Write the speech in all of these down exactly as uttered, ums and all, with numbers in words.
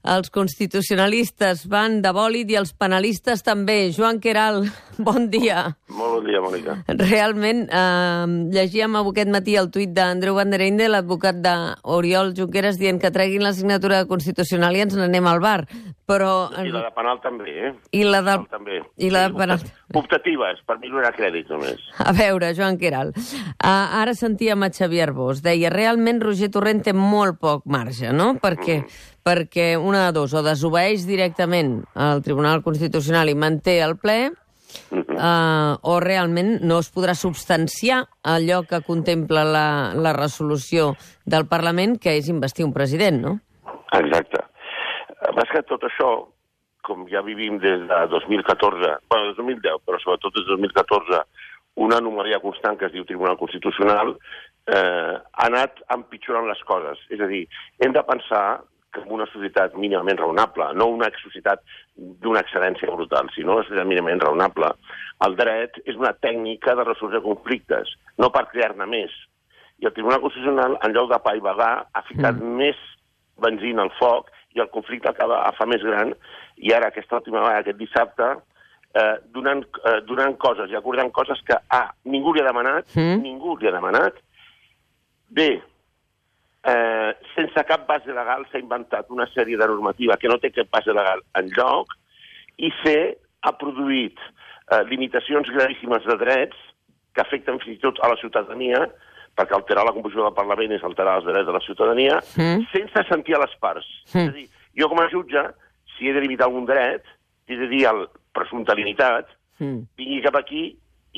els constitucionalistes van de bòlid i els penalistes també. Joan Queralt, bon dia. Molt bon dia, Mònica. Realment, eh, llegíem aquest matí el tuit d'Andreu Van der Einde, l'advocat d'Oriol Junqueras, dient que treguin la signatura constitucional i ens n'anem al bar. Però... I la de penal també, eh? I la de... També. I la de penal... Optatives, per mi no era crèdit només. A veure, Joan Queralt, uh, ara sentíem a Xavier Arbós, deia, realment Roger Torrent té molt poc marge, no? Perquè, mm. perquè una de dos, o desobeeix directament al Tribunal Constitucional i manté el ple, mm-hmm. uh, o realment no es podrà substanciar allò que contempla la, la resolució del Parlament, que és investir un president, no? Exacte. Més que tot això, com ja vivim des de dos mil catorze, bueno, dos mil deu, però sobretot des de dos mil catorze, una anomalia constant que es diu Tribunal Constitucional, eh, ha anat empitjorant les coses. És a dir, hem de pensar que en una societat mínimament raonable, no una societat d'una excel·lència brutal, sinó una societat mínimament raonable, el dret és una tècnica de resolució de conflictes, no per crear-ne més. I el Tribunal Constitucional, en lloc de paivagar, ha ficat mm. més benzina al foc i el conflicte acaba a fa més gran, i ara, aquesta última vegada, aquest dissabte, eh, donant, eh, donant coses i acordant coses que, A, ningú li ha demanat, mm. ningú li ha demanat, B, eh, sense cap base legal s'ha inventat una sèrie de normativa que no té cap base legal en lloc, i C, ha produït eh, limitacions gravíssimes de drets que afecten fins i tot a la ciutadania, perquè alterar la composició del Parlament és alterar els drets de la ciutadania, mm. sense sentir a les parts. Mm. És a dir, jo com a jutge, si he de limitar algun dret, he de dir al presumpte limitat, mm. vingui cap aquí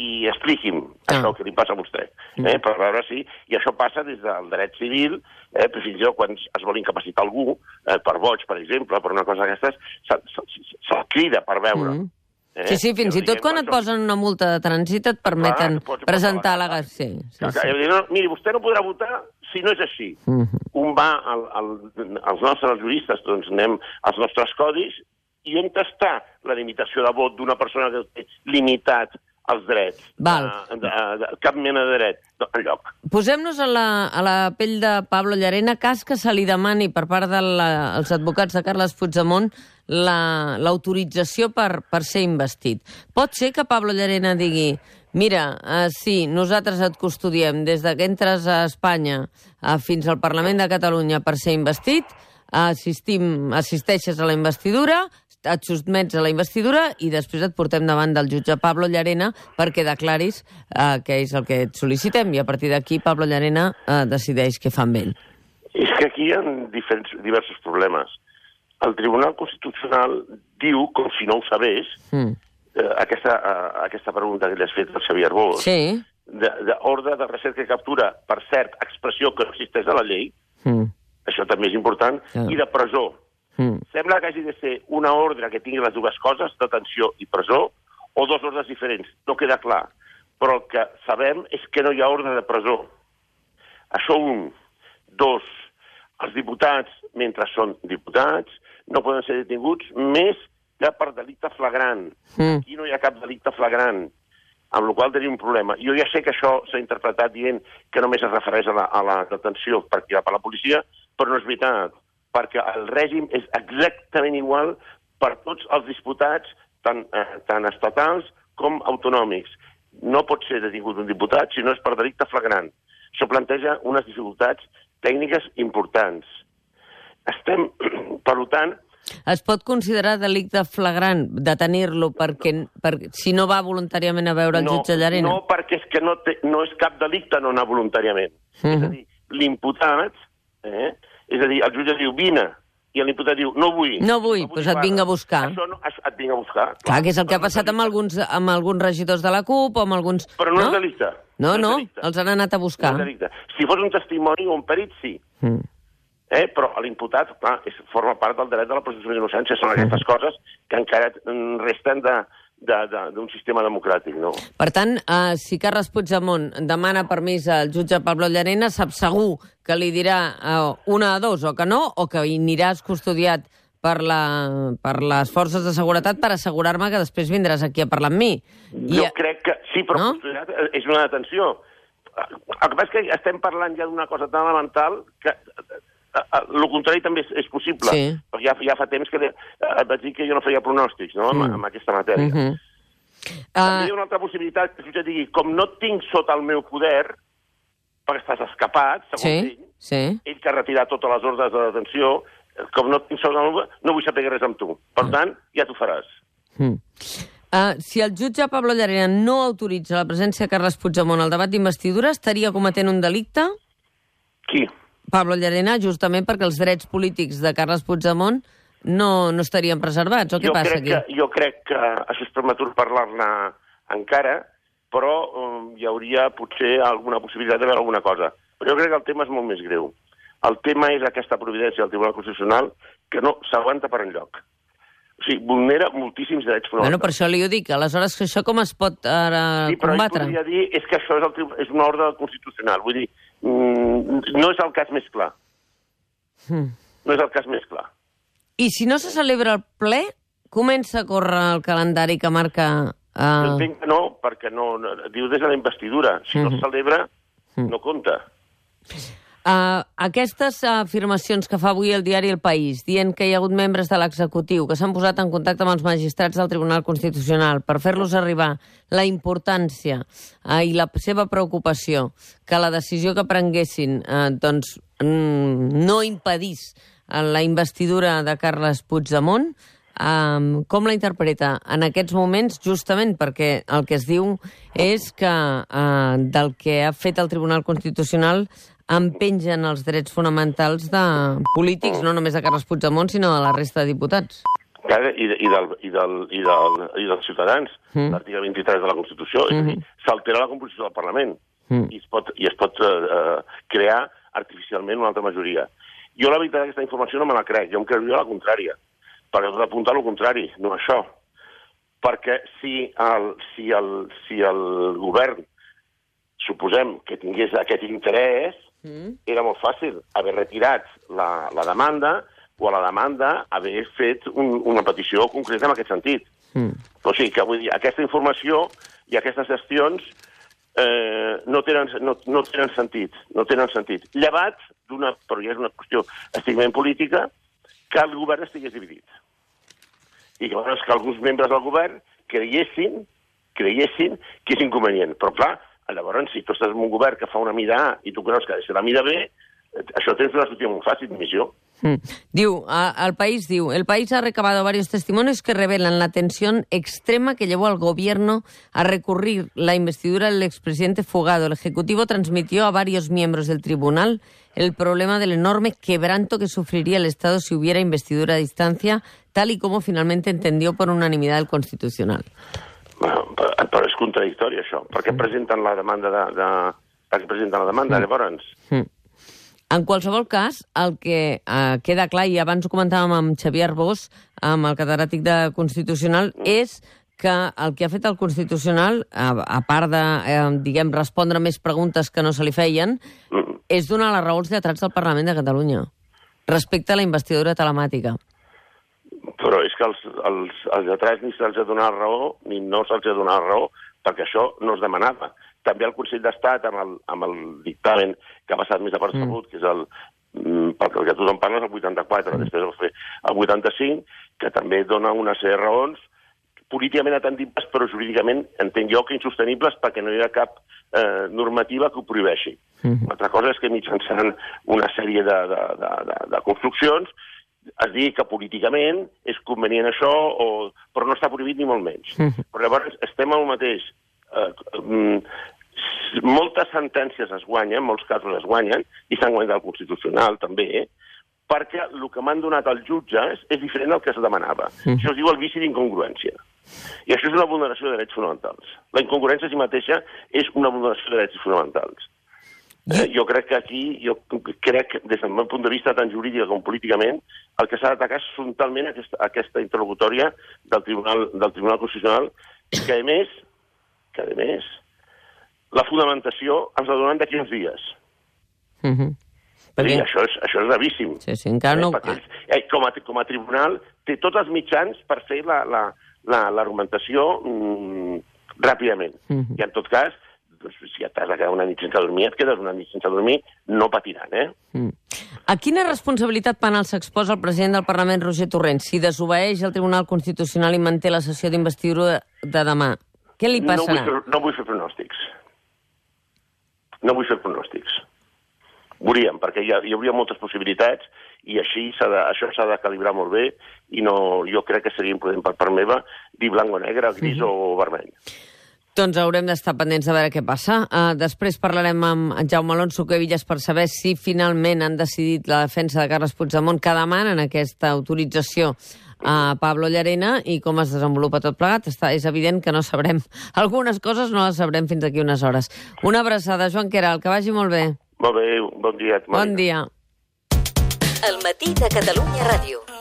i expliqui'm ah. això que li passa a vostè, mm. eh, per veure si... I això passa des del dret civil, eh, però fins i tot quan es vol incapacitar algú, eh, per boig, per exemple, per una cosa d'aquestes, se'l crida per veure. Mm. Eh? Sí, sí, fins i tot quan et posen una multa de trànsit et permeten Clar, presentar la... la... Sí, sí, sí. sí. No, miri, vostè no podrà votar si no és així. Mm-hmm. Un va al, al, als nostres juristes, doncs anem als nostres codis, i on està la limitació de vot d'una persona que té limitat els drets? Val. De, de, de, cap mena de dret enlloc. Posem-nos a, la, a la pell de Pablo Llarena, cas que se li demani per part dels advocats de Carles Puigdemont l'autorització la, per, per ser investit. Pot ser que Pablo Llarena digui mira, uh, sí, nosaltres et custodiem des que entres a Espanya uh, fins al Parlament de Catalunya per ser investit, assistim, assisteixes a la investidura, et sotmets a la investidura i després et portem davant del jutge Pablo Llarena perquè declaris uh, què és el que et sol·licitem i a partir d'aquí Pablo Llarena uh, decideix què fa amb ell. És que aquí hi ha diferents, diversos problemes. El Tribunal Constitucional diu, com si no ho sabés, mm. eh, aquesta, eh, aquesta pregunta que li has fet al Xavier Arbós, sí. d'ordre de, de recerca i captura, per cert, expressió que no existeix a la llei, mm. això també és important, yeah. i de presó. Mm. Sembla que hagi de ser una ordre que tingui les dues coses, detenció i presó, o dos ordres diferents. No queda clar. Però el que sabem és que no hi ha ordre de presó. Això un. Dos, els diputats, mentre són diputats, no poden ser detinguts més que per delicte flagrant. Mm. Aquí no hi ha cap delicte flagrant, amb la qual cosa tenim un problema. Jo ja sé que això s'ha interpretat dient que només es refereix a la, a la detenció per tirar per la policia, però no és veritat, perquè el règim és exactament igual per tots els diputats, tant, eh, tant estatals com autonòmics. No pot ser detingut un diputat si no és per delicte flagrant. Això planteja unes dificultats tècniques importants. Estem, per tant... Es pot considerar delicte flagrant detenir-lo perquè, perquè si no va voluntàriament a veure el no, jutge Llarena? No, perquè és que no, té, no és cap delicte no anar voluntàriament. Uh-huh. És a dir, l'imputat, eh, és a dir, el jutge diu vine, i l'imputat diu no vull. No vull, doncs no pues et vinc a buscar. Això no, et vinc a buscar. Clar, clar que és el que ha passat amb alguns, amb alguns regidors de la CUP o amb alguns... Però no, no? és delicte. No, no, no delicte. Els han anat a buscar. No és delicte. Si fos un testimoni o un perit, sí. Mm. Eh, però l'imputat, clar, és, forma part del dret de la presumpció d'innocència. Són aquestes mm. coses que encara resten de, d'un sistema democràtic, no? Per tant, eh, si Carles Puigdemont demana permís al jutge Pablo Llarena, sap segur que li dirà eh, una a dos, o que no, o que aniràs custodiat per, la, per les forces de seguretat per assegurar-me que després vindràs aquí a parlar amb mi. Jo I, crec que sí, però no? Custodiat és una detenció. El que passa és que estem parlant ja d'una cosa tan elemental que El contrari també és, és possible, sí. perquè ja, ja fa temps que et vaig dir que jo no feia pronòstics, no?, mm. amb, amb aquesta matèria. Mm -hmm. També hi ha una altra possibilitat que el jutge digui, com no et tinc sota el meu poder, perquè estàs escapat, segons sí, ell, sí. ell que ha retirat totes les ordres de detenció, com no et tinc sota el meu poder, no vull saber res amb tu. Per tant, ja t'ho faràs. Mm. Uh, si el jutge Pablo Llarena no autoritza la presència de Carles Puigdemont al debat d'investidura, estaria cometent un delicte? Qui? Pablo Llarena, justament perquè els drets polítics de Carles Puigdemont no, no estarien preservats, o què jo passa crec aquí? Que, jo crec que això és prematur parlar-ne encara, però um, hi hauria potser alguna possibilitat de veure alguna cosa. Però jo crec que el tema és molt més greu. El tema és aquesta providència del Tribunal Constitucional que no s'aguanta per enlloc. O sigui, vulnera moltíssims drets fonamentals. Bueno, per això li ho dic. Aleshores, que això com es pot ara sí, però combatre? Sí, però dir és que això és, el, és una ordre constitucional. Vull dir, mm, no és el cas més clar. Mm. No és el cas més clar. I si no se celebra el ple, comença a córrer el calendari que marca... Uh... Entenc que no, perquè no, no diu des de la investidura. Si mm -hmm. no es celebra, mm. no compta. Uh, aquestes afirmacions que fa avui el diari El País, dient que hi ha hagut membres de l'executiu que s'han posat en contacte amb els magistrats del Tribunal Constitucional per fer-los arribar la importància uh, i la seva preocupació que la decisió que prenguessin uh, doncs, mm, no impedís uh, la investidura de Carles Puigdemont, uh, com la interpreta en aquests moments, justament perquè el que es diu és que uh, del que ha fet el Tribunal Constitucional empengen els drets fonamentals de polítics, no només de Carles Puigdemont, sinó de la resta de diputats. Clar, i, i, del, i, del, i, del, i dels ciutadans, mm. l'article vint-i-tres de la Constitució, mm -hmm. és a dir, s'altera la composició del Parlament mm. i es pot, i es pot uh, crear artificialment una altra majoria. Jo la veritat aquesta informació no me la crec, jo em creuria la contrària, perquè tot apunta al contrari, no això. Perquè si el, si el, si el govern suposem que tingués aquest interès, mm. era molt fàcil haver retirat la, la demanda o a la demanda haver fet un, una petició concreta en aquest sentit. Mm. O sigui, que vull dir, aquesta informació i aquestes gestions eh, no, tenen, no, no tenen sentit, no tenen sentit. Llevat d'una, però ja és una qüestió estrictament política, que el govern estigués dividit. I que, bueno, és que alguns membres del govern creiessin, creiessin que és inconvenient. Però, clar, llavors, si tu estàs en un govern que fa una mida A i tu creus que ha de ser la mida B, això tens una sortida molt fàcil, missió. Mm. Diu, a, el país diu, el país ha recabado varios testimonios que revelan la tensión extrema que llevó al gobierno a recurrir la investidura del expresidente fugado. El Ejecutivo transmitió a varios miembros del tribunal el problema del enorme quebranto que sufriría el Estado si hubiera investidura a distancia, tal y como finalmente entendió por unanimidad el Constitucional. Bueno, però és contradictori, això. Per què presenten la demanda de... de... Per què presenten la demanda, mm. llavors? Mm. En qualsevol cas, el que eh, queda clar, i abans ho comentàvem amb Xavier Arbós, amb el catedràtic de Constitucional, mm. és que el que ha fet el Constitucional, a, a part de, eh, diguem, respondre més preguntes que no se li feien, mm. és donar les raons lletrats del Parlament de Catalunya respecte a la investidura telemàtica. Però és que els, els, els lletrats ni se'ls ha donat raó ni no se'ls ha donat raó, perquè això no es demanava. També el Consell d'Estat, amb el, amb el dictamen que ha passat més apercebut, mm. que és el, pel que tothom parla, és el vuitanta-quatre, mm. després va fer el vuitanta-cinc, que també dona una sèrie de raons políticament atendibles, però jurídicament entenc jo que insostenibles perquè no hi ha cap eh, normativa que ho prohibeixi. Mm. Una altra cosa és que mitjançant una sèrie de, de, de, de, de construccions es digui que políticament és convenient això, o... però no està prohibit ni molt menys. Mm. Però llavors estem al mateix. Eh, mm, moltes sentències es guanyen, molts casos es guanyen, i s'han guanyat el Constitucional també, eh? perquè el que m'han donat els jutges és diferent del que es demanava. Mm. Això es diu el vici d'incongruència. I això és una vulneració de drets fonamentals. La incongruència en si mateixa és una vulneració de drets fonamentals. Eh, jo crec que aquí, jo crec, des del meu punt de vista tant jurídic com políticament, el que s'ha d'atacar és frontalment aquesta, aquesta interlocutòria del Tribunal, del Tribunal Constitucional, que a més, que a més, la fundamentació ens la donen d'aquí uns dies. Mm-hmm. Perquè... Sí, això, és, això és gravíssim. Sí, sí, encara no... Eh, eh, com, a, com a tribunal té tots els mitjans per fer l'argumentació la, la, mm, ràpidament. Mm-hmm. I en tot cas doncs, si et has de quedar una nit sense dormir, et quedes una nit sense dormir, no patiran, eh? Mm. A quina responsabilitat penal s'exposa el president del Parlament, Roger Torrent, si desobeeix el Tribunal Constitucional i manté la sessió d'investidura de demà? Què li passarà? No vull fer, no vull fer pronòstics. No vull fer pronòstics. Veuríem, perquè hi, ha, hi hauria moltes possibilitats i així de, això s'ha de calibrar molt bé i no, jo crec que seria imprudent per part meva dir blanc o negre, gris mm-hmm. o vermell. Doncs haurem d'estar pendents de veure què passa. Uh, després parlarem amb en Jaume Alonso Cuevillas per saber si finalment han decidit la defensa de Carles Puigdemont que demanen aquesta autorització a Pablo Llarena i com es desenvolupa tot plegat. Està, és evident que no sabrem. Algunes coses no les sabrem fins aquí unes hores. Una abraçada, Joan Queralt, que vagi molt bé. Molt bé, bon dia. Bon dia. El matí de Catalunya Ràdio.